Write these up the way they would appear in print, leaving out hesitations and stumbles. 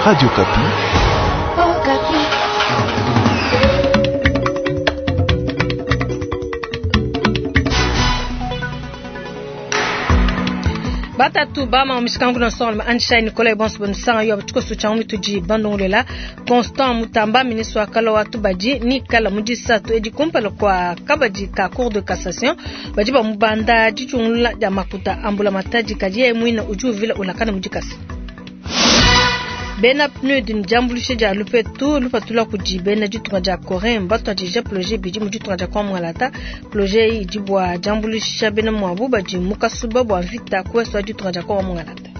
Radio Okapi. Batatu bama mishikangu na songo Anshai Nicolas bonso bonusanga yo tshikoso tsha mutudi bandongolela Constant Mutamba ministre wa kala wa tubadi ni kala mudisatu edi kumpala kwa kabadi ka cour de cassation badi ba mubanda ditshungula dia makuta ambula matadi kadi yeye muina udi uvila ulakana mudikasa. Bena PNUD ni diambuluisha dia lupetu lupatula kudi bena ditunga dia Corée batuadija projet bidi mu ditunga dia Kwamwalata. Projet iyi idi bua diambuluisha bena muabu badi mu kasuba bua mvita ku ouest wa ditunga dia Kwamwalata.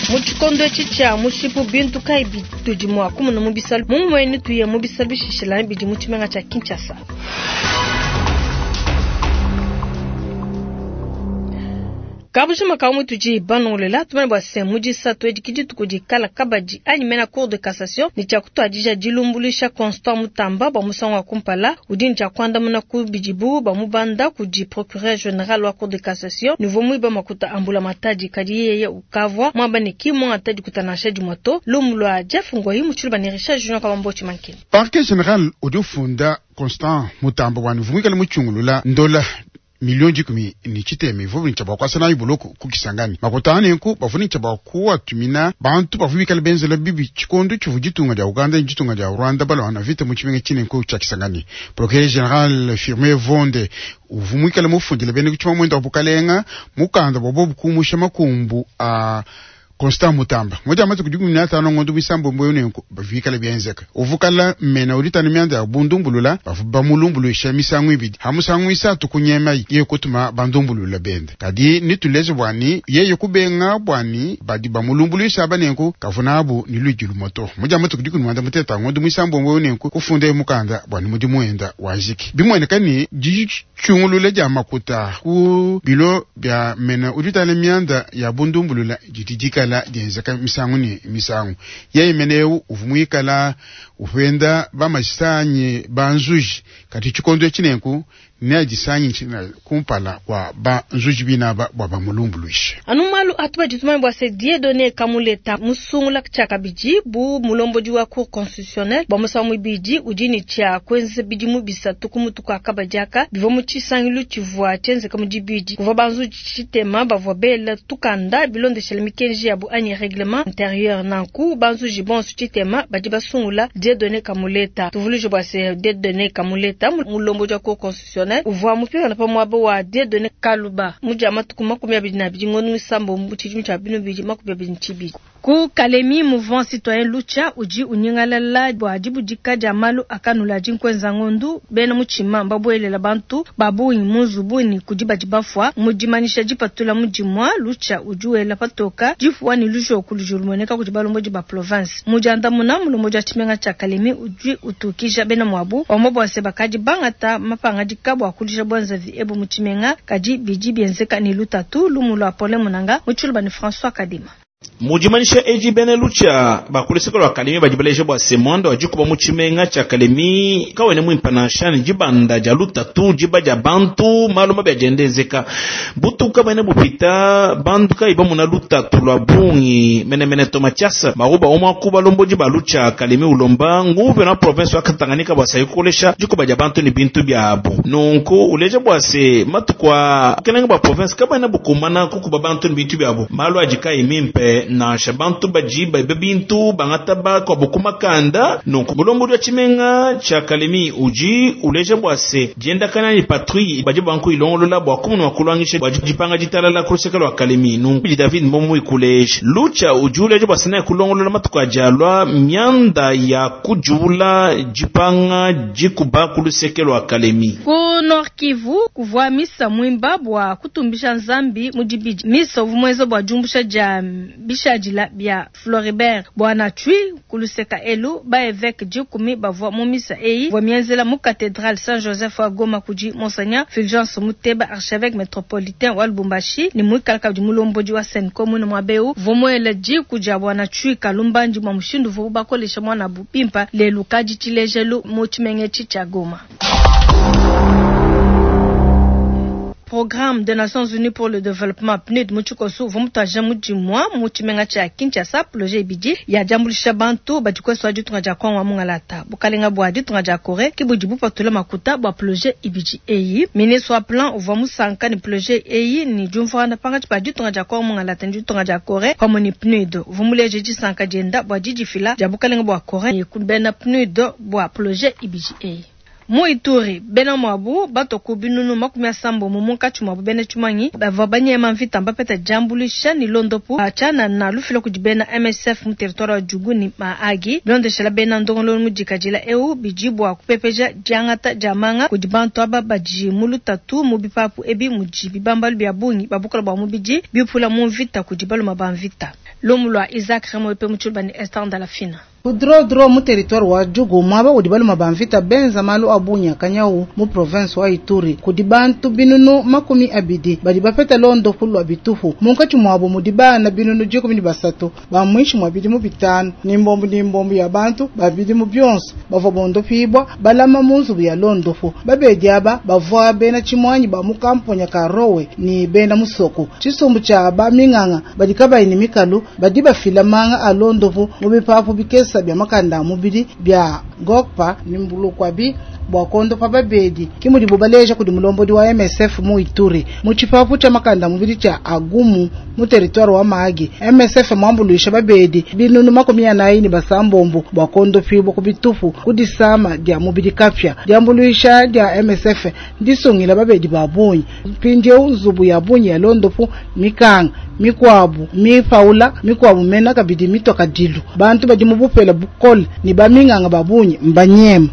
Mu tshikondo etshi tshia mushipu bintu kayi bitudi mua kumona mu bisalu? Mu muenu tuye mu bisalu bishishilangane bidi mu tshimenga tshia Kinshasa. Kabujima ka mutudi banongolela tumane bua se mu disatu edi ke dituku dikala kabadi anyi mena cour de cassation ne tshia kutuadija dilumbuluisha Constant Mutamba bua musangu wa kumpala. Udi ne tshia kuandamuna ku bidibu bamubanda kudi procureur general wa cour de cassation ne uvua muiba makuta a mbulamatadi, kadi yeye ukavua muamba ne ki muangata dikuta nansha dimue to. Lumu lua Jeff Ngoyi mu tshiluba ne Richard Junior Kabambotshi Mankini. Parquet general udi ufunda Constant Mutamba bua ne uvua muikale mutshungulula ndola miliyo dikumi ne tshitema ivua ne tshia bua kuasa nayi buloko ku Kisangani. Makuta a nenku bavua ne tshia bua kuatumina bantu bavua bikale benzela bibi tshikondo tshivua ditunga dia Uganda ne ditunga dia Rwanda baluangana mvita mu tshimenga tshinenku tshia Kisangani. Procureur General Firmin Mvonde uvua muikale mufundile bena ku tshimamuende wa bukalenga mukanda bua bobu kumusha makumbu a Constant Mutamba mu dia matuku 15 ngondo muisambombo eu nenku bikale bienzeka. Uvua kala mena uditana mianda ya bundumbulula, bavua bamulumbuluisha misangu ibidi, ha musangu isatu kunyemayi yeye kutuma bandumbulula bende. Kadi nituleje bua ni yeye kubenga bua ni badi bamulumbuluisha aba nenku kavua nabu ni luidi lumue to. Mu dia matuku 16 ngondo muisambombo eu nenku kufundaye mukanda bua ni mudimu wenda wajiki. Bimueneka ni ditshungulula dia makuta ku bilo bia mena uditana mianda ya bundumbulula didi dikala dienzeka misangu ne misangu. Yeye mene eu uvua muikala upenda bamajisanyi banzuji, kadi tshikondo etshi nenku neadisanyi kumpala kua banzuji binaba bua bamulumbuluishe. Anu malu atu badi tumanye bua se Dieudonné Kamuleta musungula tshiakabidi bu mulombodi wa Cour constitutionnelle bua musangu muibidi udi ne tshia kuenza bidimu bisatu ku mutu kua kabadi aka. Bivua mu tshisangilu tshivua tshienzeka mu dibidi kuvua banzuji tshitema bavua bela tukanda bilondeshela mikenji yabu anyi règlement intérieur. Nanku banzuji bonso tshitema badi basungula Dieudonné Kamuleta. Tuvuluije bua se Dieudonné Kamuleta mulombodi wa Cour constitutionnelle uvua mupingana pa muaba wa Dieudonné Kaluba mu dia matuku 22 ngondo muisambombo mu tshidimu tshia binu bidi makumi abidi ne tshibidi. Ku Kalemi, mouvement citoyen Lucha udi unyingalala bua dibudika dia malu akanula adi nkuenza ngondu. Bena mutshima mbabuelela bantu ba bungi mu nzubu ne kudi badi bafua. Mu dimanyisha dipatula mu dimua, Lucha udi wela patoka dipuwa ne lujoku ludi lumueneka kudi balombodi ba province. Mu diandamuna, mulombodi wa tshimenga tshia Kalemi udi utukija bena muabu wamba bua se bakadi bangata mapangadika bua kulisha buenzavi ebu mu tshimenga, kadi bidi bienzeka ne lutatu. Lumu lua Paulin Munanga mu tshiluba ne François Kadima. Mu dimanyisha edi bena Lucha ba ku luseke lua Kalemi badi baleja bua se muanda wa dikuba mu tshimenga tshia Kalemi kawena muimpe nansha ne dibanda dia lutatu diba dia bantu malu mabi adi enda enzeka butuku kabuena bupita bantu kayi bamuna lutatu lua bungi menemene to. Mathias Maruba umue wa ku balombodi ba Lucha Kalemi ulomba nguvena wa province wa Tanganyika bua se kukolesha dikuba dia bantu ne bintu biabu. Nunku uleja bua se matuku aa bukelenge bua province kabuena bukumbana kukuba bantu ne bintu biabu. Malu adi kayi mimpe nansha, bantu badi baiba bintu bangata bakuabu ku makanda. Nunku mulombodi wa tshimenga tshia Kalemi udi uleja bua se diendakana ne patrouille badi banga kuyilongolola bua kumona mua kuluangisha bua dipanga ditalala ku luseke lua Kalemi. Nunku David Mbombo ikuleja Lucha udi uleja bua se kulongolola matuku adi alua mianda ya kudiula dipanga dikuba ku luseke lua Kalemi. Ku Nord Kivu kuvua misa muimba bua kutumbisha Nzambi mu dibidi. Misa uvua muenza bua diumbusha dia bishadila bia Floribert Bwana Chui ku luseka elu. Ba evêque 10 bavua mu misa eyi ivua mienzela mu cathedrale Saint Joseph wa Goma kudi Monseigneur Fulgence Muteba, archevêque metropolitain wa Lubumbashi ne muikala kabidi mulombodi wa CENCO muine muaba eu. Uvua muela diku dia Bwana Chui kalumbandi bua mushindu uvuabu bakolesha muanabu bimpa lelu kadi tshilejelu mu tshimenga etshi tshia Goma. Programme des Nations Unies pour le Développement, PNUD, mu tshikosu uvua mutuadija mudimu mu tshimenga tshia Kinshasa projet ibidi ya diambuluisha bantu badi kuesu wa ditunga dia Kongo wa mungalata. Bukalenga bua ditunga dia Coree ke budi bupatula makuta bua projet ibidi eyi. Ministre wa plan uvua musanka ne projet eyi ne diumvuangana pankatshi pa ditunga dia Kongo mungalata ne ditunga dia Coree pamue ne PNUD. Uvua muleje disanka dienda bua didifila dia bukalenga bua Coree ne bena PNUD bua projet ibidi eyi. Mu Ituri, bena muabu batua ku binunu 60 munkatshi muabu bena tshimuangi bavua banyema mvita mbapeta diambuluisha ne londopu tshianana lufila kudi bena MSF mu territoire wa Djugu ne Mahagi. Bilondeshela bena ndongoluelu mudikadila eu bidi bua kupepeja diangata dia manga kudi bantu aba badi mu lutatu mu bipapu ebi mudi bibambalu bia bungi ba bukole bua mubidi biupula mu mvita kudi baluma ba mvita. Lumu lua Isaac Remoyope mu Tshiluba ne Esther Ndalafina. Ku Drodro mu territoire wa Djugu muaba udi baluma ba mvita benza malu a bunya kanyau mu province wa Ituri kudi bantu binunu 20 badi bapeta londopu lua bitupu munkatshi muabo mudi bana binunu 13 ba muinshi mua bidimu 5 ni mbombu ya bantu ba bidimu bionso bavua bondopibwa balama mu nzubu ya londopu babedi aba bavua bena tshimuanyi ba mu kamponya ka Rowe ni bena musoko tshisumbu tshia ba minganga badi kabayi ni mikalu badi bafila manga a londopu mu bipapu bikesa bya makanda mubili bya gokpa ni mbulukwabi bwa kondo pa babedi kimudi bubaleja kudi mulombodi wa MSF mu Ituri mu tshipapu tshia makanda mubili tshia Agumu mu territoire wa Mahagi. MSF mwambuluisha babedi binunu 46 bwa kondo pibwa kubitupu kudisama dia mubili kapya diambuluisha dia MSF ndisungila babedi babunyi mpindieu nzubu ya bunyi ya londopu mikanga mikwabu mipaula mikwabu mena kabidi mitoka dilu bantu badi mubupela bukole ni baminganga babunyi mbanyema.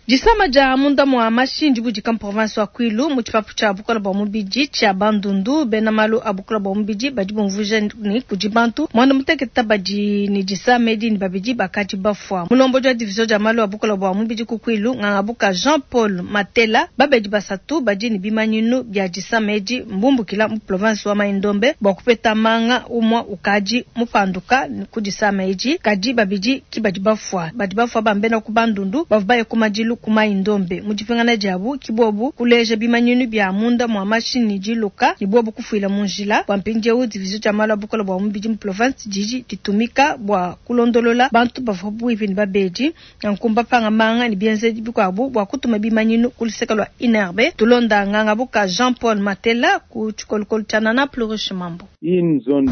Disama dia munda mwa mashindi budi kam province wa Kwilu mu tshipapu tshia bukola bua mubidi tshia Bandundu bena malu a bukola bua mubidi badi bumvuija ni kudi bantu mwana muteketa badi ni disama edi ni babidi bakadi bafua. Mulombodi wa division dia malu a bukola bua mubidi ku Kwilu ngangabuka Jean Paul Matela babedi basatu badi ni bimanyinu bia disama edi mbumbukila mu province wa Mai-Ndombe bua kupeta manga umwa ukadi mupanduka ku disama edi kadi babidi ki badi bafua badi bafua bambena ku Bandundu bavua baye ku madilu ku Mai-Ndombe mu dipingana diabu kibobu kuleja bimanyinu bia munda mwa mashini diluka ni bobu kufuila mu njila bua mpindieu division dia malu a bukola bua mubidi mu province didi ditumika bua kulondolola bantu bavua buivi ni babedi nkumba panga manga ni bienzedi bikuabu bua kutuma bimanyinu ku luseke lua INRB tulonda ngangabuka Jean Paul Matela ku tshikolokolo tshia Nana Plurish Mambo.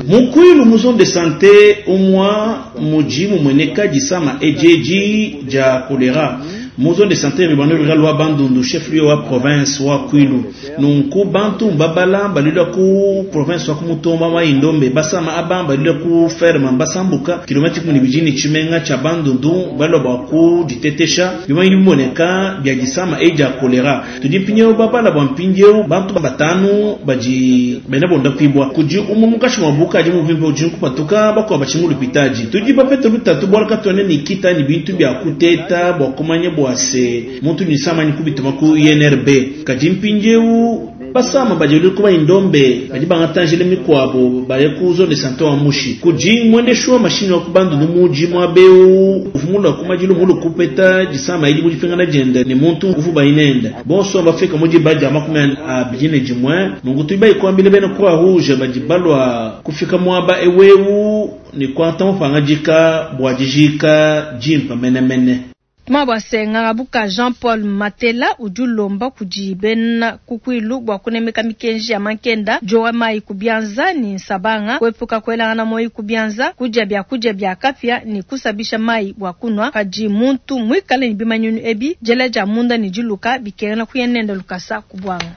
Mukwilu mu zone de santé umwa muji mumweneka disama ejeji dia kolera mu zone de santé ribano rural wa Bandundu chef lieu wa province wa Kwilu nunku bantu mbabala balila ku province wa Kumutomba Mai-Ndombe basama abamba balila ku ferme basambuka kilomètre 12 ni chimenga cha Bandundu balwa ba ku ditetesha bimanyi bimoneka bya disama eja kolera tudimpinyo babala bwa mpindio bantu batanu baji bena bonda pibwa kuji umumukashi mwabuka ji muvimbe ujinku patuka bakwa bachingulu pitaji tudi bapete lutatu bwalaka tone nikita ni bintu bya kuteta bwa kumanya bwase muntu ni samani kubituma ku INRB kadi mpinjeu basama bajeli kuba indombe badi bangatanjele mikwabo baye ku zone santé wa Mushi kuji mwendeshwa mashini wa kubandu numuji mwabeu uvumula kumajilu mulu kupeta jisama ili mujifingana jenda ni muntu uvuba inenda bonso bafika muji baja 21 nungu tuiba ikwambile bena kwa rouge baji balwa kufika mwaba eweu ni kwanta mufangajika bwajijika jimpa menemene. Mabwase ngangabuka Jean Paul Matela udi ulomba kudi bena kukwilu bua kunemeka mikenji ya mankenda jowa mai kubianza ni nsabanga kuepuka kuelangana moi kubianza kudia bya kudia bya kapya ni kusabisha mai bua kunwa padi muntu mwikale ni bimanyunu ebi jela ja munda ni diluka bikengela kuyenenda lukasa kubwanga.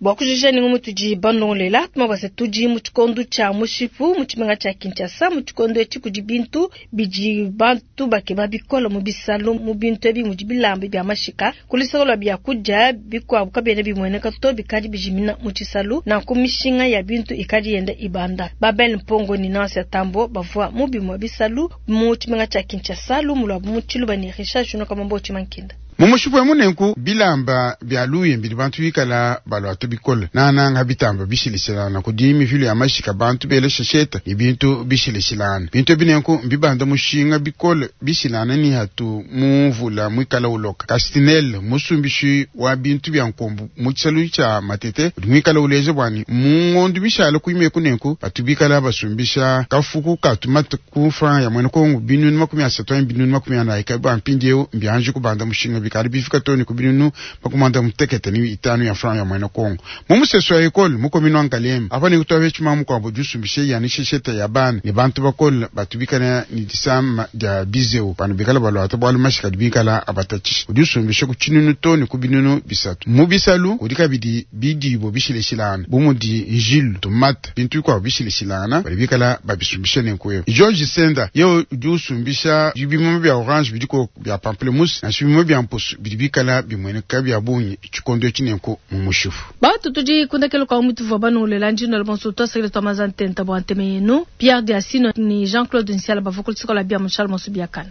Bua kujija ni ngumutu bandongolela tumabwase tudi mu tshikondo tshia mushipu mu tshimenga tshia Kinshasa mu tshikondo etshi kudi bintu bidi bantu bakeba bikolo mu bisalo mu bintu ebi mudi bilamba bia mashika kulisakolo bia kudia bikuabu kabiena bimueneka to bikadi bijimina mu tshisalu na ku mishinga ya bintu ikadi yenda ibanda. Babel Mpongo ni Nancy Tambo bavua mu bimue bisalu mu tshimenga tshia Kinshasa lumulwa mu tshiluba ni Richard Juno Kamambo Tshimankinda. Mu mushipu emu nenku bilamba bia luya bidi bantu bikala baluata bikole nananga bitamba bishilishilana kudi mivilu ya mashika bantu bela shesheta ne bintu bishilishilana bintu ebi nenku mbibanda mushinga bikole bishilana ni hatu mu mvula muikala uloka. Kastinel musumbishi wa bintu bia nkombu mu tshisalu tshia Matete udi muikala uleja bua ne mu ngondo mishala kuimeku nenku batu bikala basumbisha kafuku ka tumata ku franc ya mwene Kongo 330 anyi 440 ka bua mpindieu mbianji kubanda mushinga bikali bifika too ne ku 65 ya franc ya mwene Kongo. Mu musesu wa ekole mu commune wa Ngaliema apa ne kutuabe tshima mukuabo diusumbishe yani shesheta ya bana ne bantu bakole batu bikala ne disama dia bizeu bana bikala baluata bualu mashika bikala abatatshisha udi usumbisha ku 1000 too ne ku 300. Mu bisalu kudi kabidi bidibo bishileshilana bu mudi njilu tomate bintu bikuabo bishileshilana badi bikala babisumbisha nenku. George Senda ye udi usumbisha bimuma bia orange bidiko bia pamplemousse nansha bimuma bia mpusu bidi bikala bimueneka bia bungi tshikondo etshi nenku mu mushipu. Batu tudi kundekelo kwa mutu vwa banu lela njino la bonso twasakile twa mazantenta bwa nteme yenu Pierre Diasino ni Jean-Claude Nsiala bavukulu tsikola bia mushal mosu biakana.